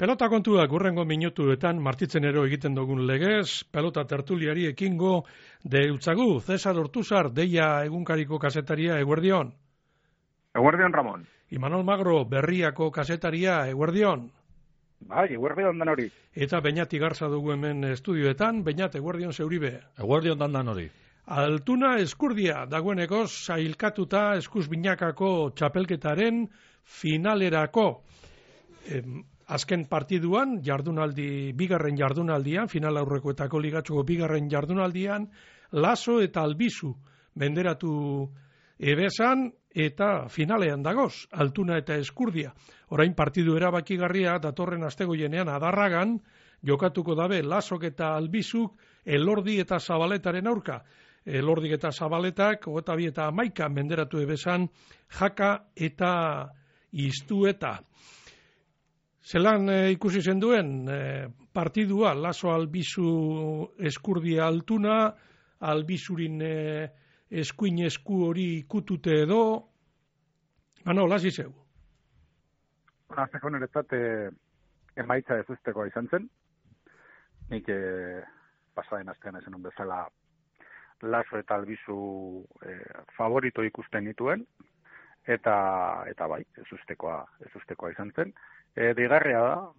Pelota kontuak urrengo minutuetan martitzenero egiten dugun legez, pelota tertuliari ekingo deutzagu. Cesar Ortuzar, Deia egunkariko kasetaria, eguerdion. Eguerdion, Ramon. Imanol Magro, Berriako kasetaria, eguerdion. Bai, eguerdion dan hori. Eta Beñat Igarza dugu hemen estudioetan. Beñat, eguerdion zeuribe. Eguerdion dan hori. Altuna Eskurdia, dagoenekoz sailkatuta eskuz binakako txapelketaren finalerako. Azken partiduan, bigarren jardunaldian, final aurrekoetako ligatxoko bigarren jardunaldian, Laso eta Albizu menderatu ebesan eta finalean dagoz, Altuna eta Eskurdia. Orain partidu erabakigarria datorren astegoienean Adarragan, jokatuko dabe Lasok eta Albizuk Elordi eta Zabaletaren aurka. Elordi eta Zabaletak, 22 eta 11 menderatu ebesan, Jaka eta Iztueta. Zelan ikusi zen duen partidua, Laso Albizu Eskurdia Altuna, Albizurin eskuin esku hori ikutute edo, hasi zeu. Azteko niretzat emaitza ez usteko izan zen. Nik pasaden astean ezen bezala Laso eta Albizu favorito ikusten nituen, eta bai, ez ustekoa izan zen. Digarria da,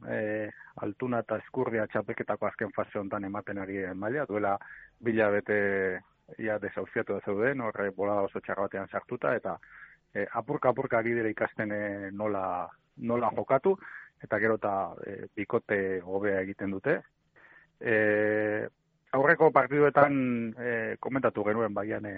Altuna eta Eskurdia txapelketako azken fase honetan ematen ari maila, duela bilabete desauziatu da zeuden, horre bolada oso txarra batean sartuta, eta apurka ari dira ikasten nola jokatu, eta gero eta bikote hobea egiten dute. Aurreko partiduetan komentatu genuen baian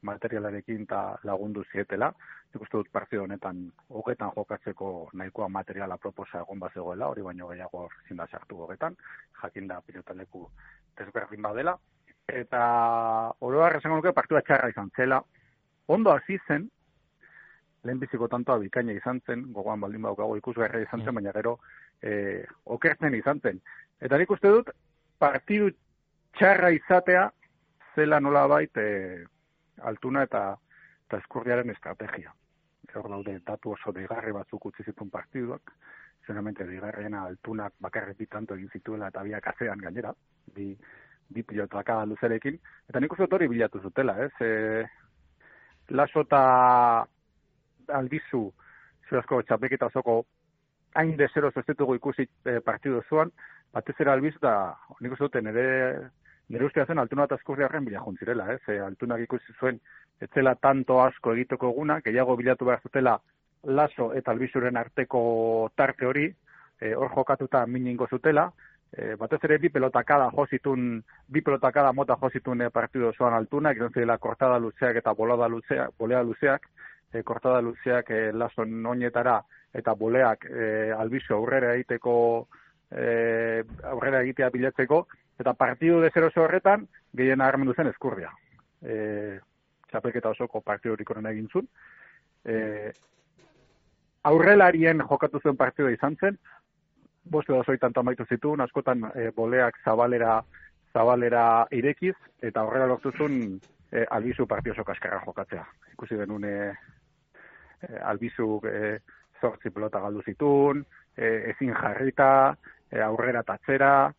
materialarekin eta lagundu zietela. Nik uste dut partidu honetan hogetan jokatzeko nahikoa materiala proposa egon bazegoela, hori baino gehiago ezin da sartu hogetan, jakinda pilotaleku desberdin badela. Eta oroar esango nuke partida txarra izan zela. Ondo hasi zen, lehenbiziko tantoa bikaina izan zen, gogoan baldin badaukago ikusgarria izan zen, baina gero okertzen izan zen. Eta nik uste dut partidu txarra izatea zela nolabait Altuna eta Eskurdiaren estrategia. Hor daude datu oso deigarri batzuk utzi zituen partiduak, zenamente deigarriena Altunak bakarrik bi tanto egin zituela eta biak atzean gainera, bi pilotakada luzerekin, eta nik uste dut hori bilatu zutela, ez? Laso eta Albizu zurazko txapelketa osoko hain dezeroz ez ditugu ikusi partidu zuan, batez ere Albizu da, nik uste dut nire ustea zen Altuna eta Eskurdiaren bila juntzirela, ez? Altunak ikusi zuen etzela tanto asko egiteko eguna, gehiago bilatu behar zutela Laso eta Albizuren arteko tarte hori, hor jokatuta miningo zutela, batez ere bi pelotakada mota jozitun partidu osoan Altunak, izan zirela kortada luzeak eta bolea luzeak, kortada luzeak Laso oinetara eta boleak Albizu aurrera egitea bilatzeko, eta partidu dezeroso horretan gehien agarmendu zen Eskurdia. Txapelketa osoko partidu horik horren egin zuen. Aurrelarien jokatu zuen partidua izan zen, 5 tanto amaitu zituen, askotan boleak zabalera irekiz, eta aurrera lortu zuen Albizu partidu oso kaskarra jokatzea. Ikusi denun Albizu 8 pelota galdu zituen, ezin jarrita, aurrera tatzera,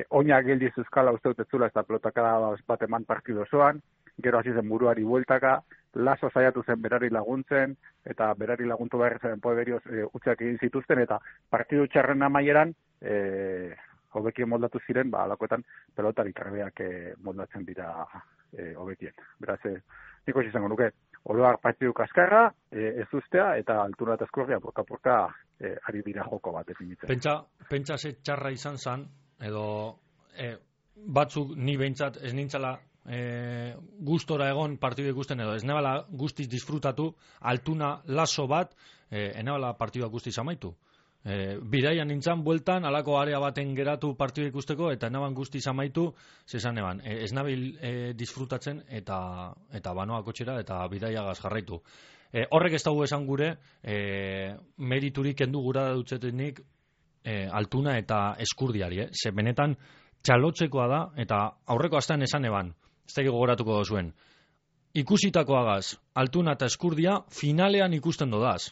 oinak geldiz euskala uste dut etzula ez da pelotakada bat eman partidu osoan, gero hasi zen buruari bueltaka, Laso saiatu zen berari laguntzen, eta berari laguntu behar zen poderioz utziak egin zituzten, eta partidu txarren amaieran, hobekien moldatu ziren, alakoetan pelotari karbeak moldatzen dira hobekien. Beraz, niko izango nuke, oroak partidu kaskarra, ez ustea, eta Altuna eta Eskurdia porka ari dira joko bat definitzen. Pentsa ze txarra izan zan, edo batzuk ni behintzat ez nintzala gustora egon partidu ikusten edo ez nebala guztiz disfrutatu Altuna Laso bat enebala partidua guztiz amaitu. Bidaian nintzan bueltan alako area baten geratu partidu ikusteko eta eneban guztiz amaitu zezan eban. Ez nabil disfrutatzen eta banoa kotxera eta bidaiagaz jarraitu. Horrek ez dago esan gure meriturik kendu gura dutzetenik Altuna eta Eskurdiari, ze benetan txalotzekoa da, eta aurreko astean esan eban, ez da gogoratuko dozuen, ikusitakoagaz Altuna eta Eskurdia finalean ikusten dodaz.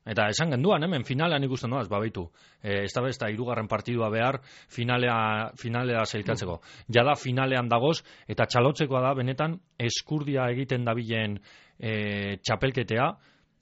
Eta esan genduan, hemen finalean ikusten doaz, babaitu. Ez da hirugarren partidua behar finalea zeilkatzeko. Jada finalean dagoz, eta txalotzekoa da, benetan, eskurdia egiten dabilen txapelketea.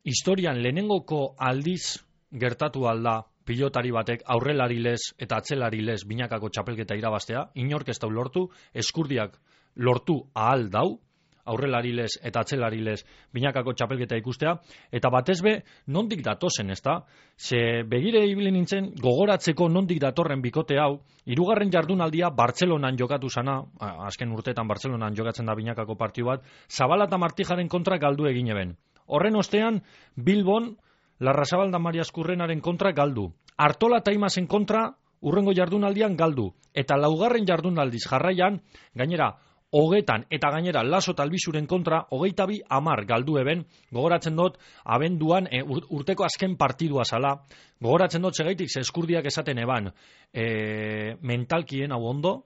Historian lehenengoko aldiz gertatu alda pilotari batek aurrelari lez eta atzelari lez binakako txapelketa irabaztea. Inork ez dau lortu, eskurdiak lortu ahal dau, aurrelari lez eta atzelari lez binakako txapelketa ikustea, eta batezbe nondik datozen, ez da? Ze begire ibili nintzen gogoratzeko nondik datorren bikote hau, hirugarren jardunaldia Bartzelonan jokatu sana, azken urteetan Bartzelonan jokatzen da binakako partidu bat, Zabala eta Martijaren kontra galdu egin eben. Horren ostean, Bilbon, Larrazabal da Maria Eskurrenaren kontra galdu. Artola eta Imazen kontra, urrengo jardunaldian galdu. Eta laugarren jardunaldiz jarraian, gainera, hogetan eta gainera Laso eta Albizuren kontra 22-10 galdu eben, gogoratzen dut abenduan urteko azken partidua zala, gogoratzen dut segaitik ze eskurdiak esaten eban mentalkien hau ondo,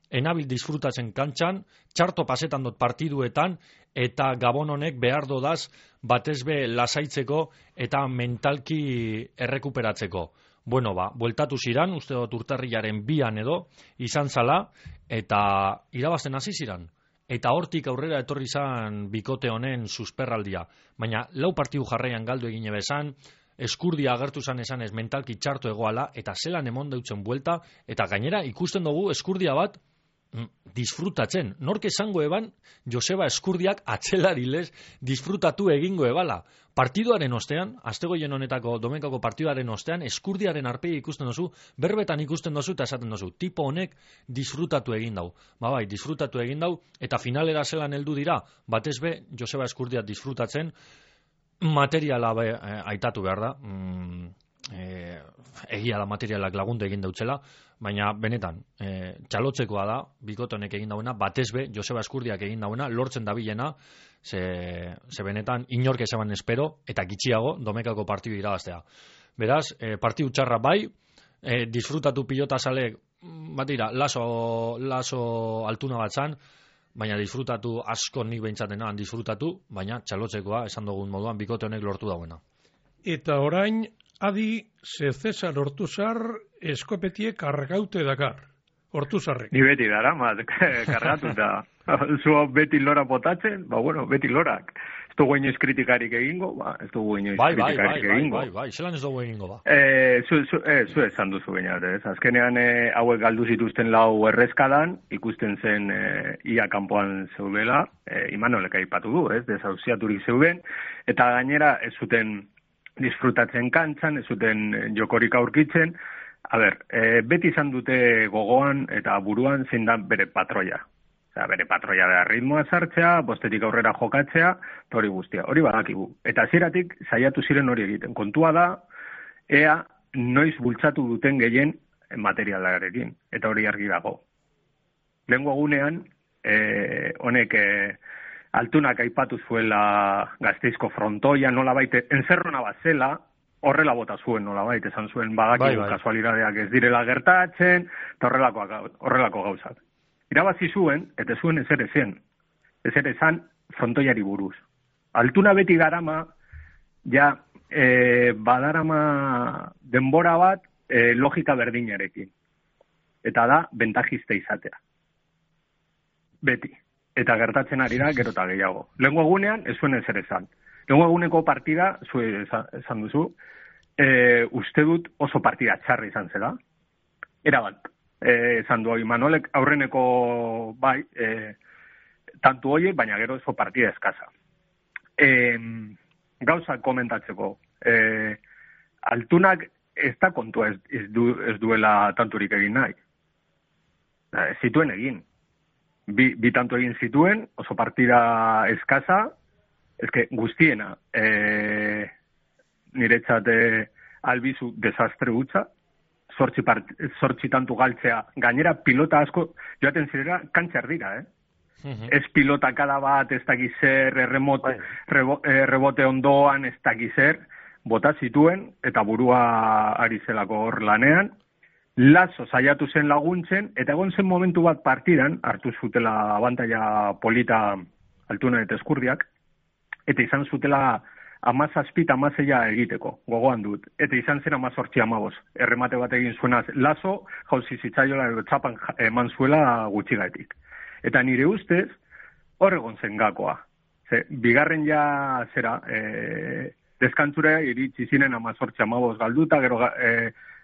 enabil disfrutatzen kantxan, txarto pasetan dut partiduetan, eta Gabon honek behar dodaz batezbe lasaitzeko eta mentalki errekuperatzeko. Bueno, bueltatu ziran, uste dut urtarrilaren 2 edo, izan zala, eta irabazten hasi ziran. Eta hortik aurrera etorri zan bikote honen susperraldia. Baina, 4 partidu jarraian galdu egine bezan, eskurdia agertu zan esan ez mentalki txarto egoala, eta zelan emon deutzen buelta, eta gainera ikusten dugu eskurdia bat disfrutatzen. Nork esango eban, Joseba Eskurdiak atzelariles disfrutatu egingo ebala. Partiduaren ostean, astegoien honetako Domenkako partiduaren ostean, Eskurdiaren arpegi ikusten dozu, berbetan ikusten dozu eta esaten dozu. Tipo honek disfrutatu egin dau. Bai, disfrutatu egin dau, eta finalera zelan heldu dira, batezbe Joseba Eskurdia disfrutatzen, materiala aitatu behar da, egia da materialak lagundu egin dautzela, baina benetan, txalotzekoa da, bikotonek egin dauena, batezbe, Joseba Eskurdiak egin dauena, lortzen dabilena, ze benetan, inork ezaban espero, eta gitxiago, Domekako partidu irabaztea. Beraz, partidu txarra bai, disfrutatu pilota zalek, bat dira, laso altuna bat zan, baina disfrutatu asko nik behintzatena, disfrutatu, baina txalotzekoa, esan dugun moduan, bikote honek lortu dauena. Eta orain, adi, ze Cesar Ortuzar eskopetie kargaute dakar. Ortuzarrek. Ni beti dara, kargatuta. Zua beti lora botatzen, bueno, beti lorak. Ez dugu inoiz kritikarik egingo, ez dugu inoiz kritikarik egingo. Bai, zelan ez dugu egingo, ba. Zu esan duzu bainat, ez? Azkenean hauek galdu zituzten 4 errezkadan, ikusten zen ia kanpoan zeudela, Imanolek aipatu du, ez? Desauziaturik zeuden, eta gainera ez zuten disfrutatzen kantxan, ez zuten jokorik aurkitzen. A ber, beti izan dute gogoan eta buruan zein da bere patroia. Osea, bere patroia da ritmoa sartzea, bostetik aurrera jokatzea, eta hori guztia. Hori badakigu. Eta hasieratik saiatu ziren hori egiten. Kontua da, ea noiz bultzatu duten gehien materialarekin. Eta hori argi dago. Lehengo egunean, honek altunak aipatu zuela Gasteizko frontoia, nolabait enzerrona bat zela, horrela bota zuen nolabait, esan zuen badakigu kasualidadeak ez direla gertatzen, eta horrelako gauzak. Irabazi zuen, eta zuen ezer esan frontoiari buruz. Altuna beti darama, ja, badarama denbora bat logika berdinarekin. Eta da, bentajista izatea. Beti. Eta gertatzen ari da, gero eta gehiago. Lehengo egunean, ez zuen ezer esan. Lehengo eguneko partida, esan duzu, uste dut oso partida txarra izan zela. Erabat, esan du Imanolek aurreneko bai, tantu hoiek, baina gero oso partida eskaza. Gauza komentatzeko, altunak ez da kontua ez duela tanturik egin nahi. Zituen egin. Bi tanto egin zituen, oso partida eskaza, ezke guztiena niretzat Albizu desastre gutza, 8 tantu galtzea, gainera pilota asko, joaten zirera, kantxar dira, Ez pilota kada bat, ez dakiz zer, rebote ondoan, ez dakiz zer, bota zituen, eta burua ari zelako hor lanean, Laso saiatu zen laguntzen, eta egon zen momentu bat partidan, hartu zutela abantaila polita Altuna eta Eskurdiak, eta izan zutela 17 16 egiteko, gogoan dut. Eta izan zen 18-15. Erremate bat egin zuena Laso, jauzi zitzaiola edo txapan eman zuela gutxigatik. Eta nire ustez, hor egon zen gakoa. Bigarren ja zera, deskantzura iritsi ziren 18-15 galduta, gero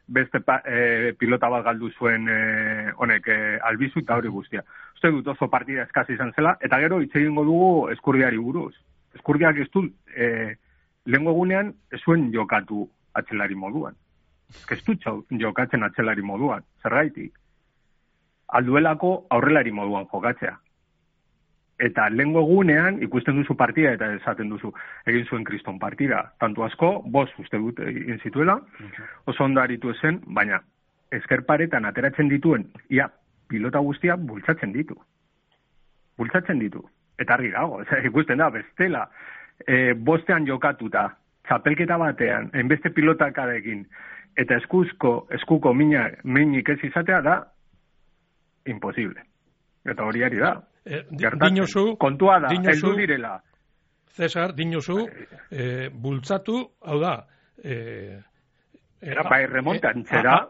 beste pilota bat galdu zuen honek Albizu eta hori guztia. Uste dut oso partida eskaz izan zela, eta gero hitz egingo dugu Eskurdiari buruz. Eskurdiak ez du lehengo egunean ez zuen jokatu atzelari moduan. Ez du jokatzen atzelari moduan, zergaitik. Alduelako aurrelari moduan jokatzea. Eta lehengo egunean ikusten duzu partida eta esaten duzu egin zuen kriston partida. Tantu asko, uste dut egin zituela, oso ondo aritu zen, baina eskerparetan ateratzen dituen, pilota guztia bultzatzen ditu. Bultzatzen ditu. Eta argi dago, ikusten da, bestela, bostean jokatuta, txapelketa batean, enbeste pilotakarekin, eta eskuko minik ez izatea da, imposible. Eta hori ari da. Kontua da, heldu direla. Cesar, dinosu, bultzatu, hau da, remontantzera.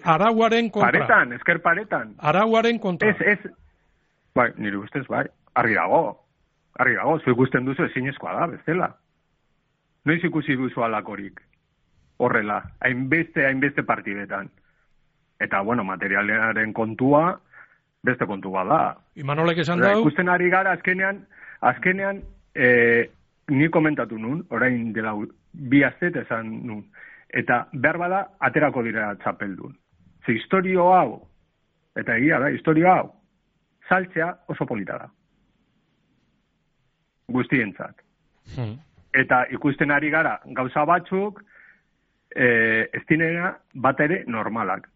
Arauaren kontra. Paretan. Arauaren kontra. Bai, nire ustez, bai. Argi dago, zu ikusten duzu ezinezkoa da, bestela. Noiz ikusi duzu alakorik. Horrela, hainbeste partidetan. Eta, materialaren kontua, beste kontua da. Imanolek esan dau? Ikusten ari gara, azkenean, ni komentatu nun, orain dela 2 aste esan nun. Eta behar bada, aterako dira txapeldun. Historio hau, eta egia da, historio hau, saltzea oso polita da. Guztientzat. Eta ikusten ari gara, gauza batzuk, ez dinera bat ere normalak.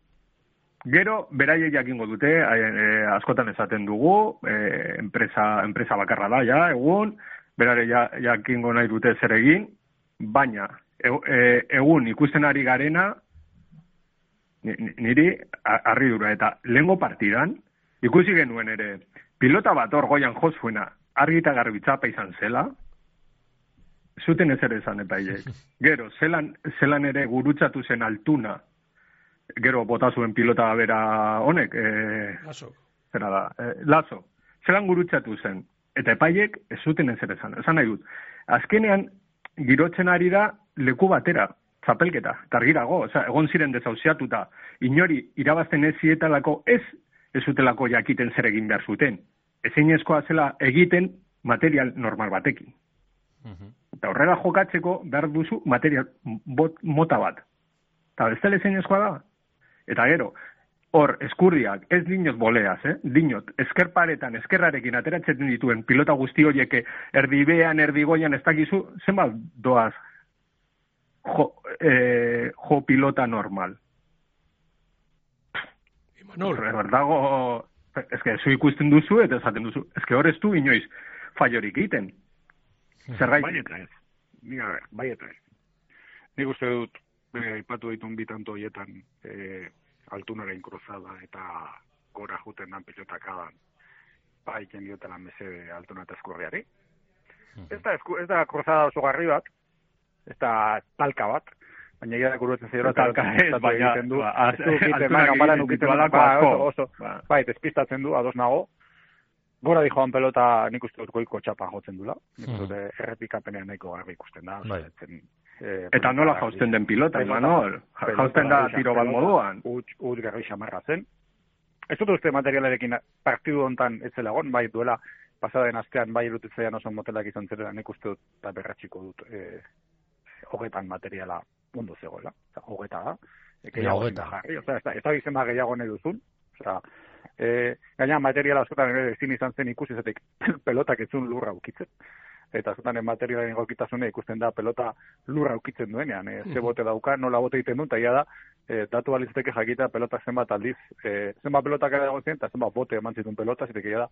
Gero, beraiek jakingo dute, askotan esaten dugu, enpresa bakarra da, egun, berare jakingo nahi dute zer egin, baina, egun ikusten ari garena, niri harridura, eta lehengo partidan, ikusi genuen ere, pilota bat hor goian jozuena, argi eta garbitzapa izan zela, zuten ezer esan epaiek. Gero, zelan ere gurutzatu zen altuna, gero bota zuen pilota bera honek, Laso. Zelan gurutzatu zen, eta epaiek ez zuten ezer esan. Esan nahi dut, azkenean girotzen ari da leku batera, txapelketa, targirago, egon ziren dezauziatuta, inori irabazten ez zietalako ez zutelako jakiten zer egin behar zuten. Ezinezkoa zela egiten material normal batekin. Eta horrela jokatzeko behar duzu material mota bat. Eta bestela ezinezkoa da. Eta gero, hor, Eskurdiak, ez dinot boleaz, dinot, eskerparetan, eskerrarekin ateratzen dituen pilota guzti horieke erdibean, erdigoian, ez dakizu, zenbat doaz jo pilota normal. Imanol, dago, zu ikusten duzu eta esaten duzu, hor ez du inoiz fallorik egiten. Zergaitik. Bai eta ez. Nik uste dut, aipatu ditun bitanto horietan altunaren kruzada eta gora juten dan pilotakadan baiken diotela mesede altuna eta Eskurdiari. Ez da kruzada oso garri bat, ez da talka bat, baina egia da kuruetzen zidora talka ez, baina bai, despistatzen du, ados nago. Gora di joan pelota nik uste dut goiko txapan jotzen dula. Nik uste dut errepikapenean nahiko garbi ikusten da. Eta nola jausten den pilota, Imanol? Jausten da tiro bat moduan. Ut garri xamarra zen. Ez dut uste materialarekin partidu hontan ez zela egon, bai duela pasaden astean bai irutitzaian oso motelak izan zela, nik uste dut eta berratxiko dut hogetan materiala ondo zegoela. Hogeta da. Ez da bizema gehiago nahi duzun. Gaina materiala askotan ere ezin izan zen ikusi zetek pelotak etzun lurra ukitzen. Eta askotan materialen egokitasune ikusten da pelota lurra ukitzen duenean. Ze bote dauka, nola bote egiten duen, eta ia da, datu balizateke jakita pelota zenbat aldiz, zenbat pelotak ere dago zen, eta zenbat bote eman zituen pelota, ziteke ia da,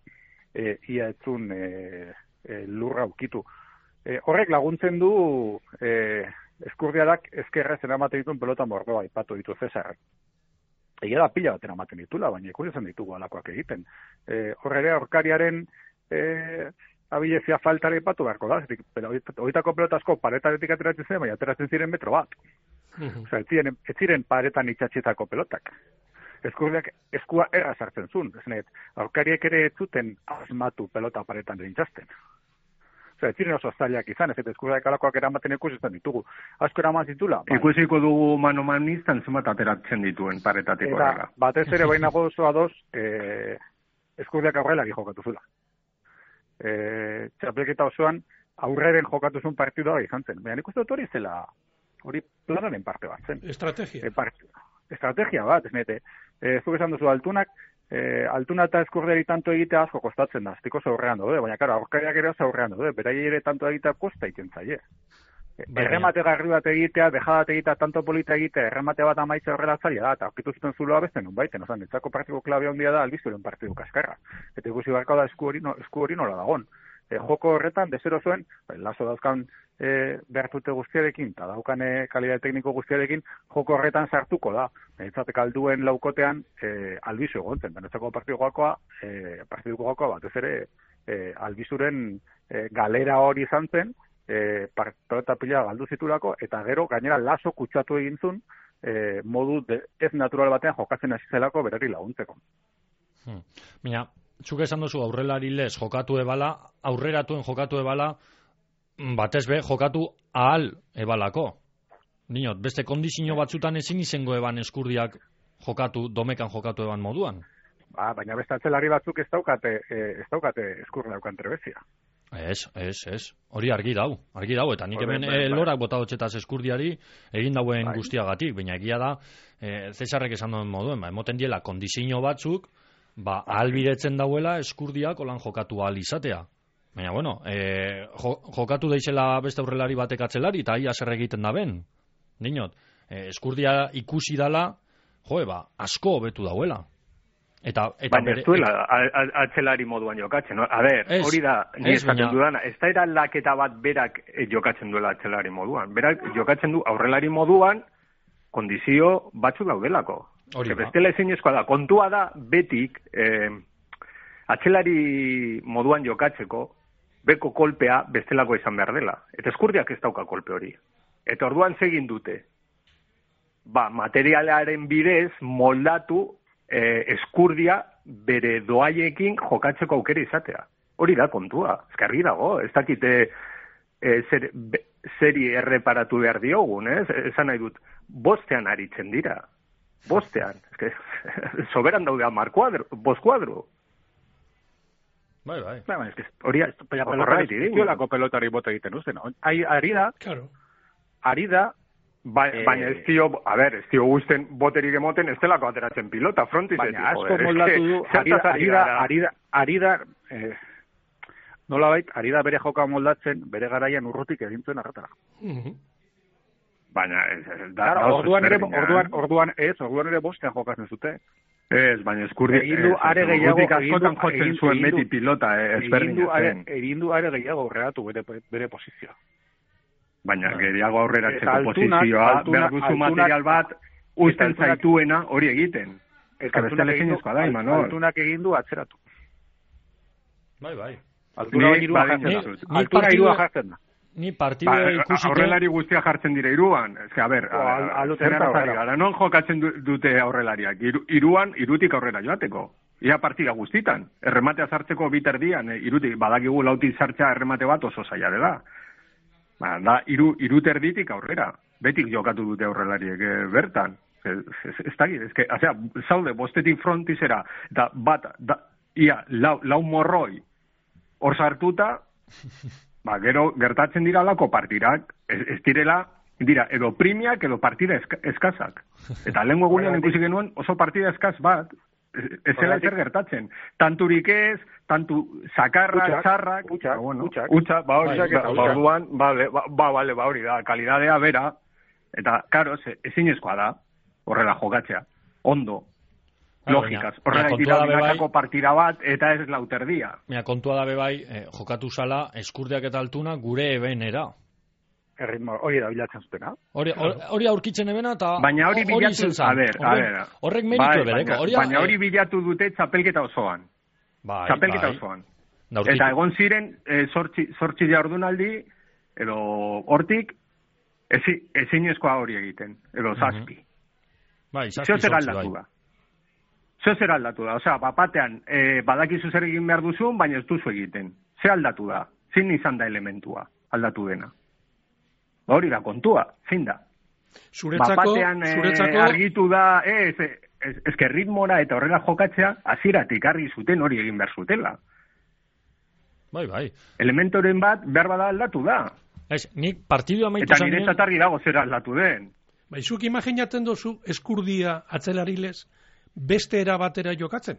ia etzun lurra ukitu. Horrek laguntzen du Eskurdiarak ezkerrez eramate dituen pelota mordoa ipatu ditu Cesar. Egia da pila baten ematen ditula, baina ikusten ditugu alakoak egiten. Horre ere, aurkariaren abilezia faltare ipatu beharko da. Oitako pelotazko paretaretik ateratzen zen, baina ateratzen ziren metro bat. Osea, ez ziren paretan itxatxetako pelotak. Eskurdiak eskua erra sartzen zuen. Aurkariek ere ez zuten asmatu pelota paretan dintzasten. Osea, ez ziren oso zailak izan, ez eskurdiak alakoak eramaten ikusizten ditugu. Asko eraman zitula. Ikusiko dugu manomanistan zenbat ateratzen dituen paretatik horrela. Batez ere bainago oso ados, eskurdiak aurrelari jokatu zula. Txapelketa osoan aurreren jokatu zuen partidua izan zen. Baina nik uste dut hori zela, hori planaren parte bat zen. Estrategia bat, zuk esan duzu altuna eta eskurdiari tanto egitea asko kostatzen da, aztiko zaurrean daude, baina karo, aurkariak ere zaurrean daude, berai ere tanto egitea kosta iten zaie. Erremate garri bat egitea, deja bat egitea, tanto polita egitea, erremate bat amaitza horrela zaila da, eta aurkitu zuten zuloa beste nun baiten, osan, netzako partiko klabe handia da albizuren partidu kaskarra. Eta ikusi barko da esku hori nola dagon. Joko horretan, desero zuen, laso dauzkan behartute guztiarekin, eta daukan kalidade tekniko guztiarekin, joko horretan sartuko da. Netzat kalduen laukotean albizu egontzen, da netzako partiduko gakoa batez ere albizuren galera hori izan zen, pelota pila galdu zitulako, eta gero gainera laso kutsatu egin zuen modu ez natural batean jokatzen hasi zelako berari laguntzeko. Baina, zuk esan duzu aurrelari lez jokatu ebala, aurreratuen jokatu ebala, batez be jokatu ahal ebalako. Dinot, beste kondizio batzutan ezin izango eban eskurdiak jokatu, domekan jokatu eban moduan. Baina beste atzelari batzuk ez daukate eskurra daukan trebezia. Ez. Hori argi dau, eta nik hemen lorak bota hotxetaz eskurdiari egin dauen guztiagatik, baina egia da, Cesarrek esan duen moduen, emoten diela kondizio batzuk, ahalbidetzen dauela eskurdiak olan jokatu ahal izatea. Baina, bueno, jokatu deixela beste aurrelari batek atzelari, eta aia zer egiten da ben. Dinot, eskurdia ikusi dala, asko hobetu dauela. Baina ez duela atzelari moduan jokatzen. A ber, hori da, ni esaten dudana, ez da eraldaketa bat berak jokatzen duela atzelari moduan. Berak jokatzen du aurrelari moduan, kondizio batzuk daudelako. Bestela ezinezkoa da. Kontua da, betik, atzelari moduan jokatzeko, beko kolpea bestelako izan behar dela. Eta eskurdiak ez dauka kolpe hori. Eta orduan zegin dute. Materialaren bidez moldatu eskurdia bere doaiekin jokatzeko aukera izatea. Hori da kontua. Ezkarri dago. Ez dakite zeri erreparatu behar diogun, esan nahi dut, bostean aritzen dira. Bostean. Soberan daude bost kuadro. Bai. Hori pelotari pelotari bota egiten usten. Ari da, baina ez dio guzten boterik emoten ez delako ateratzen pilota, frontizetik. Baina asko moldatu du, ari da, nolabait, ari da bere joka moldatzen, bere garaian urrutik egintzen arretara. Baina, orduan ere bostean jokatzen zute. Ez, baina eskurdi, urrutik askotan jotzen zuen beti pilota, ezberdinatzen. Egin du are gehiago aurreratu bere posizioa. Baina, gehiago aurreratzeko posizioa, behar duzu material bat, usten zaituena hori egiten. Bestela ezinezkoa da, Imanol. Altunak egin du atzeratu. Bai. Altura irua jartzen da. Ni partide ikusite... Aurrelari guztia jartzen dira iruan. Ez que, gara, non jokatzen dute aurrelariak? Irutik aurrera joateko. Ia partida guztitan. Errematea sartzeko biterdian, irutik, badakigu lautik sartzea erremate bat oso zaila dela. Da, iruterditik aurrera. Betik jokatu dute aurrelariek bertan. Ez dakit, zaude, bostetik frontizera, eta bat, ia, lau morroi, hor sartuta, gero gertatzen dira lako partidak, ez direla, edo primiak edo partida eskazak. Eta lehen egunean ikusi genuen oso partida eskaz bat, ez zela ezer gertatzen. Tanturik ez, tantu sakarrak, txarrak, utxa, orduan, hori da, kalidadea bera, eta, karo, ezinezkoa da, horrela jokatzea, ondo, logikaz. Horrela dira binatako partida bat, eta ez lauterdia. Kontua da bebai, jokatu zala, eskurdiak eta altuna gure ebenera. Hori da bilatzen zutena. Hori aurkitzen ebena, eta hori bilatu, horrek meritu ebereko. Baina hori bilatu dute txapelketa osoan. Txapelketa osoan. Eta egon ziren, sortzi jardunaldi, edo hortik, ezinezkoa hori egiten, edo zazpi. Bai, zazpi sortzi, bai. Zer aldatu da, osea, bapatean, badakizu zer egin behar duzun, baina ez duzu egiten. Zer aldatu da, zin izan da elementua, aldatu dena. Hori da, kontua, zin da. Zuretzako argitu da, ezke ritmora eta horrela jokatzea, hasieratik argi zuten hori egin behar zutela. Bai. Elementoren bat, behar bada aldatu da. Nik partidu amaitu eta nire txatarri dago zer aldatu den. Bai, zuk imaginatzen dozu eskurdia atzelarilez beste era batera jokatzen?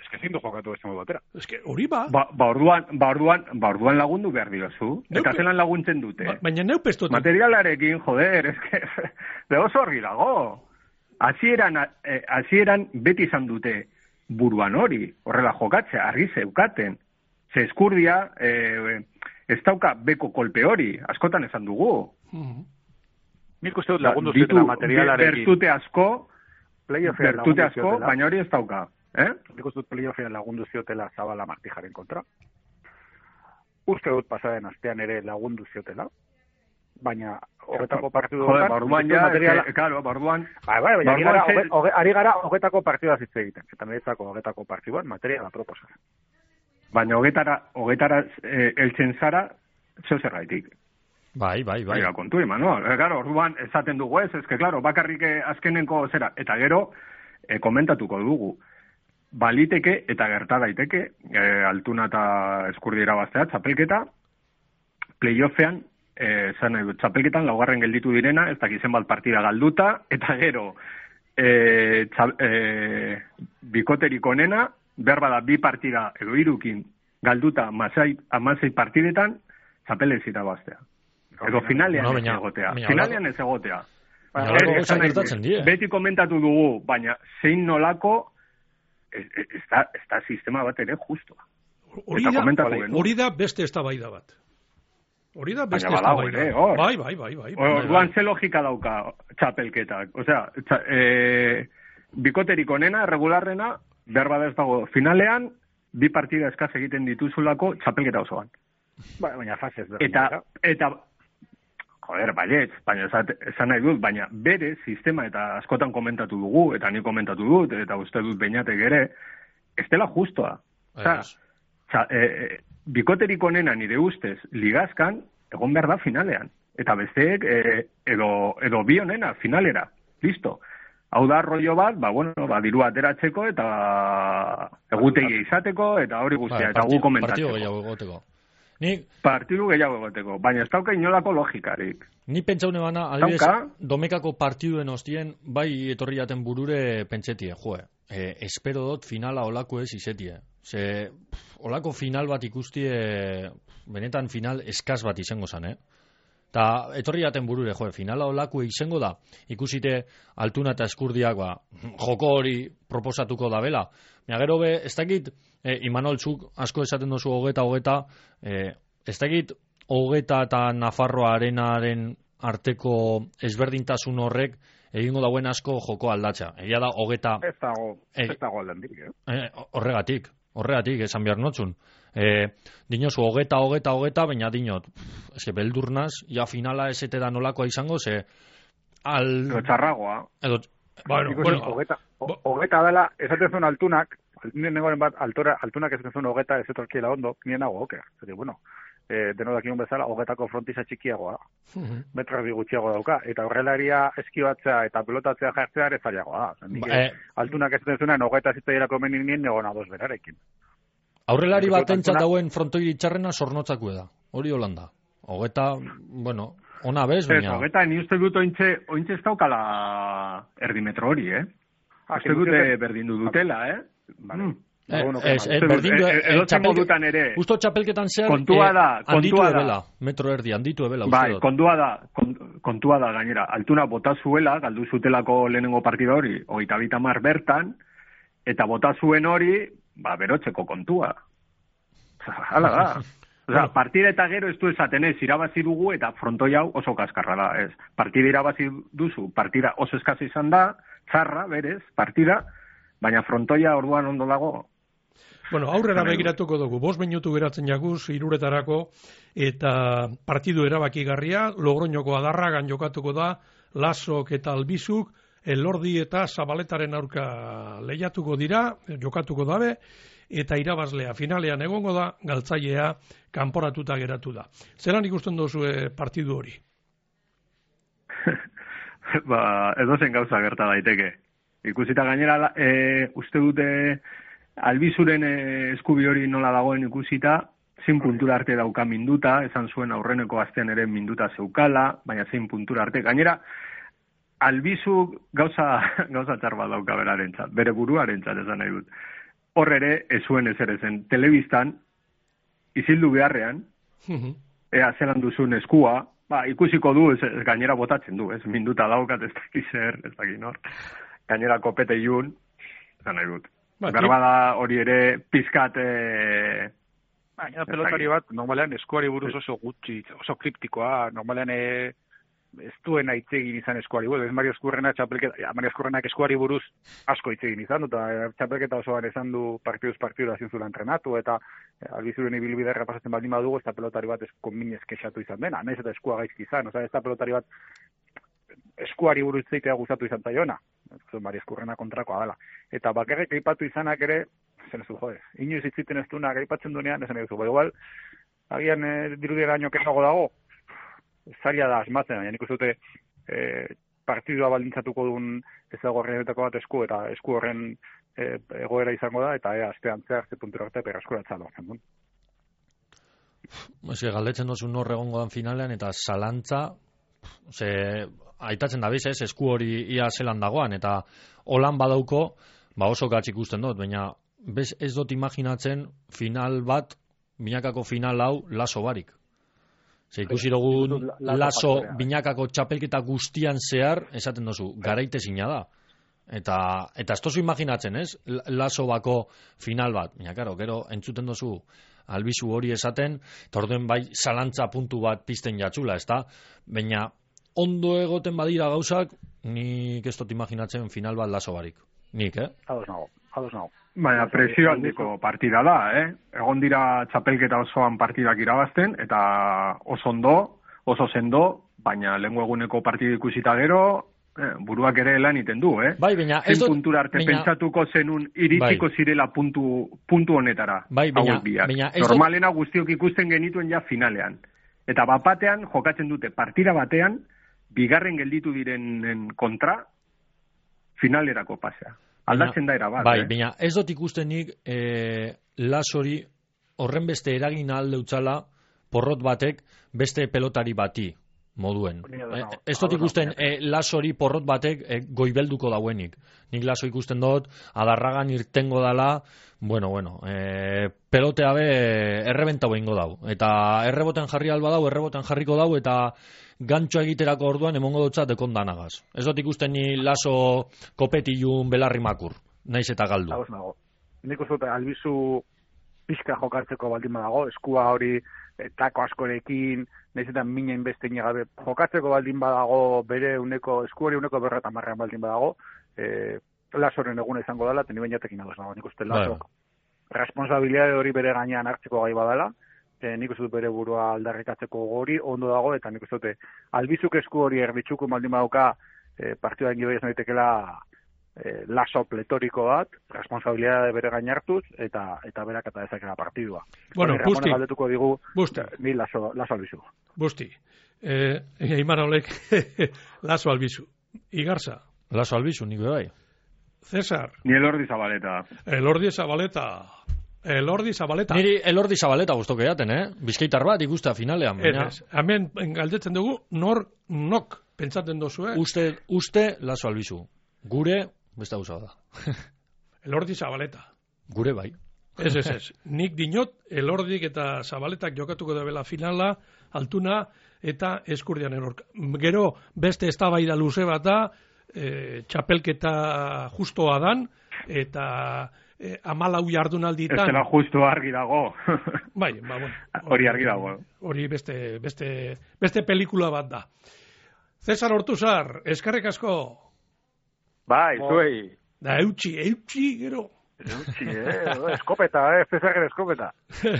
Eske ezin du jokatu beste modu batera. Eske hori ba. Orduan lagundu behar diozu. Eta zelan laguntzen dute. Baina neu pestoten. Materialarekin, joder, eske de oso horri dago. Hasieran beti izan dute buruan hori, horrela jokatzea, argi zeukaten. Ze eskurdia ez dauka beko kolpe hori, askotan esan dugu. Nik uste dut lagundu zietela materialarekin. Bertute asko, baina hori ez dauka. Nik uste dut playoffean lagundu ziotela Zabala Martijaren kontra. Uste dut pasaden astean ere lagundu ziotela. Baina horretako partidu ari gara hogetako partidua zitze egiten. Eta niretzako hogetako partiduan materiala proposa. Baina hogetara eltzen zara, zergaitik. Bai. Baina kontu ima, no? Orduan esaten dugu ez, claro, bakarrik azkenenko zera. Eta gero, komentatuko dugu. Baliteke eta gerta daiteke, Altuna eta Eskurdi irabaztea, txapelketa, playoffean, txapelketan laugarren gelditu direna, ez dakizen bat partida galduta, eta gero, bikoterik onena, behar bada bi partida edo irukin galduta amasei partidetan, txapelez irabaztea. Edo finalean ez egotea. Finalean ez egotea. Beti komentatu dugu, baina zein nolako ez da sistema bat ere justoa. Hori da beste eztabaida bat. Hori da beste eztabaida. Bai. Orduan ze logika dauka txapelketak. Osea, bikoterik onena, regularrena, behar bada ez dago finalean, bi partida eskaz egiten dituzulako txapelketa osoan. Baina fase ez eta joder, baietz, baina esan nahi dut, baina bere sistema eta askotan komentatu dugu, eta ni komentatu dut, eta uste dut beinatek ere, ez dela justoa. Bikoterik onena nire ustez ligazkan, egon behar da finalean. Eta besteek, edo bi onena finalera. Listo. Hau da rollo bat, diru ateratzeko, eta egutegi izateko, eta hori guztia, eta gu komentatzeko. Partidu gehiago egoteko, baina ez dauka inolako logikarik. Ni pentsaune bana, adibidez, domekako partiduen ostien, bai etorri jaten burure pentsetie, espero dut finala olako ez izetie. Ze, olako final bat ikustie, benetan final eskaz bat izango zan, Ta etorri jaten burure, finala olako izango da, ikusite Altuna eta Eskurdiak, joko hori proposatuko da bela. Gero be, ez dakit, Imanol zuk asko esaten dozu hogeta, ez dakit hogeta eta Nafarroa arenaren arteko ezberdintasun horrek egingo dauen asko joko aldatza. Egia da hogeta... Ez dago aldendik, Horregatik, esan behar notzun. Dinozu, hogeta, baina dinot, beldurnaz, ja finala esete da nolakoa izango, Edo txarragoa. Hogeta dela, esaten zuen Altunak, nengoren bat, Altunak esaten zuen hogeta ez etorkiela ondo, nien nago okea. Deno dakion bezala, hogetako frontiza txikiagoa. Metroak gutxiago dauka. Eta horrelaria eskibatzea eta pelotatzea jartzea ere zailagoa. Altunak esaten zuenan, hogeta zitzaierako menin nien negoen ados berarekin. Aurrelari bat entzat dauen frontoiri txarrena sornotzakue da. Hori holanda. Hogeta, ona bez, baina... Hogeta, ni uste dut ointxe ez daukala erdimetro hori, Uste dute berdindu dutela, Edotzen modutan ere. Justo txapelketan zehar handitu ebela, metro erdi, handitu ebela. Bai, kontua da gainera. Altuna bota zuela, galdu zutelako lehenengo partida hori, 30 bertan, eta bota zuen hori, berotzeko kontua. Hala da. Osea, partida eta gero ez du esaten ez, irabazi dugu eta frontoi hau oso kaskarra da, ez. Partida irabazi duzu, partida oso eskaz izan da, txarra, berez, partida, baina frontoia orduan ondo dago. Bueno, aurrera begiratuko dugu, 5 minutu geratzen jaguz, 3:00 eta partidu erabakigarria, Logroñoko Adarragan jokatuko da, Lasok eta Albizuk, Elordi eta Zabaletaren aurka lehiatuko dira, jokatuko dabe, eta irabazlea finalean egongo da, galtzailea kanporatuta geratu da. Zeran ikusten duzu partidu hori? Edozen gauza gerta daiteke. Ikusita gainera, uste dute Albizuren eskubi hori nola dagoen ikusita, zein puntura arte dauka minduta, esan zuen aurreneko astean ere minduta zeukala, baina zein puntura arte. Gainera, Albizuk gauza txar bat dauka berarentzat, bere buruarentzat esan nahi dut. Hor ere, ez zuen ezer ezen, telebistan, izildu beharrean, ea zelan duzun eskua, ikusiko du, gainera botatzen du, ez minduta daukat, ez dakit zer, ez dakit nor, gainera kopete iun, esan nahi dut. Berbada hori ere pizkat... Baina pelotari bat, normalean eskuari buruz oso gutxi, oso kriptikoa, normalean ez duena hitz egin izan eskuari buruz. Ez Mario Eskurrenak eskuari buruz asko hitz egin izan, eta txapelketa osoan esan du partiduz ezin zula entrenatu, eta Albizuren ibilbidea repasatzen baldin badugu, ez da pelotari bat konminez kexatu izan dena, nahiz eta eskua gaizki izan, ez da pelotari bat eskuari buruz zeitea gustatu izan zaiona. Mario Eskurrena kontrakoa dela. Eta bakarrik aipatu izanak ere, zen ez du, inoiz itziten ez duenak aipatzen duenean, esan egizu, igual, agian dirudera aino kenago dago, zaila da asmatzen, baina nik uste dute partidua baldintzatuko duen ezagorrenetako bat esku, eta esku horren egoera izango da, eta astean zehar ze puntura arte perraskoratza lortzen duen. Galdetzen dozu nor egongo dan finalean, eta zalantza, aitatzen da biz, esku hori ia zelan dagoan, eta holan badauko, oso gatz ikusten dut, baina ez dut imaginatzen final bat, binakako final hau laso barik. Ikusi dugu laso binakako txapelketa guztian zehar, esaten dozu, garaitezina da. Eta ez dozu imaginatzen, ez? Laso bako final bat. Baina, gero, entzuten dozu Albizu hori esaten, eta orduen bai zalantza puntu bat pizten jatzula, ez da? Baina, ondo egoten badira gauzak, nik ez dut imaginatzen final bat laso barik. Nik, Ados nago. Baina presio handiko partida da, Egon dira txapelketa osoan partidak irabazten, eta oso ondo, oso sendo, baina lehengo eguneko partida ikusita gero, buruak ere lan iten du, Bai, baina... Zen puntura arte pentsatuko zenun iritsiko zirela puntu honetara. Bai, baina... Normalena guztiok ikusten genituen ja finalean. Eta batean jokatzen dute partida batean, bigarren gelditu direnen kontra, finalerako pasea. Aldatzen da erabat. Bai, baina ez dut ikustenik Lasori horren beste eragin alde utzala porrot batek beste pelotari bati moduen. Ez dut ikusten Lasori porrot batek goibelduko dauenik. Nik Laso ikusten dut, Adarragan irtengo dala, pelotea be errebentau egingo dau. Eta erreboten jarri alba dau, erreboten jarriko dau, eta gantxoa egiterako orduan emongo dutza dekondanagaz. Ez dut ikusten ni Laso kopetilun belarri makur, naiz eta galdu. Ados nago. Nik uste dut Albizu pixka jokatzeko baldin badago, eskua hori tako askorekin, naiz eta minen beste gabe jokatzeko baldin badago, bere esku hori 150 baldin badago, Lasoren eguna izango dela, teni bainatekin ados nago. Nik uste Lasok responsabilitate hori bere gainean hartzeko gai badala, nik uste dut bere burua aldarrikatzeko hori ondo dago, eta nik uste dut Albizuk esku hori erditzuko baldin badauka partidaren gibei ez noitekela Laso pletoriko bat, responsabilitate bere gain hartuz, eta berak eta dezakela partidua. Busti. Galdetuko digu, Busti. Ni Laso Albizu. Busti. Imanolek Laso Albizu. Igarza. Laso Albizu, nik bai. César. Ni Elordi Zabaleta. Elordi Zabaleta. Niri Elordi Zabaleta guztoke jaten, Bizkaitar bat ikusta finalean. Hemen galdetzen dugu, nok pentsaten dozu, Uste Laso Albizu. Gure, beste gauza da. Elordi Zabaleta. Gure bai. Ez. Nik dinot, Elordik eta Zabaletak jokatuko debela finala, Altuna eta Eskurdian erorka. Gero, beste eztabaida luze bat da, txapelketa justoa dan, eta 14 jardunalditan... Ez dela justo argi dago. Bai, hori argi dago. Hori beste pelikula bat da. César Ortuzar, eskerrik asko. Bai, zuei. Da eutxi, gero. Eutxi, eskopeta, Cesarren eskopeta.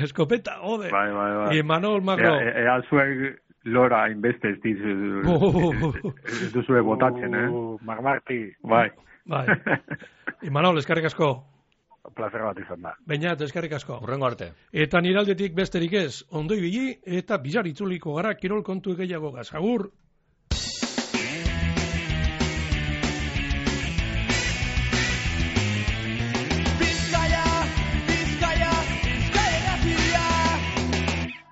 Eskopeta, jode. Bai. Imanol Magro. Ea zuek lora inbeste ez duzue botatzen, Marmarti. Bai. Imanol, eskerrik asko. Placer bat izan da. Beñat, eskerrik asko. Hurrengo arte. Eta niraldetik besterik ez, ondo ibili eta bizar itzuliko gara kirol kontu gehiago gaz. Agur!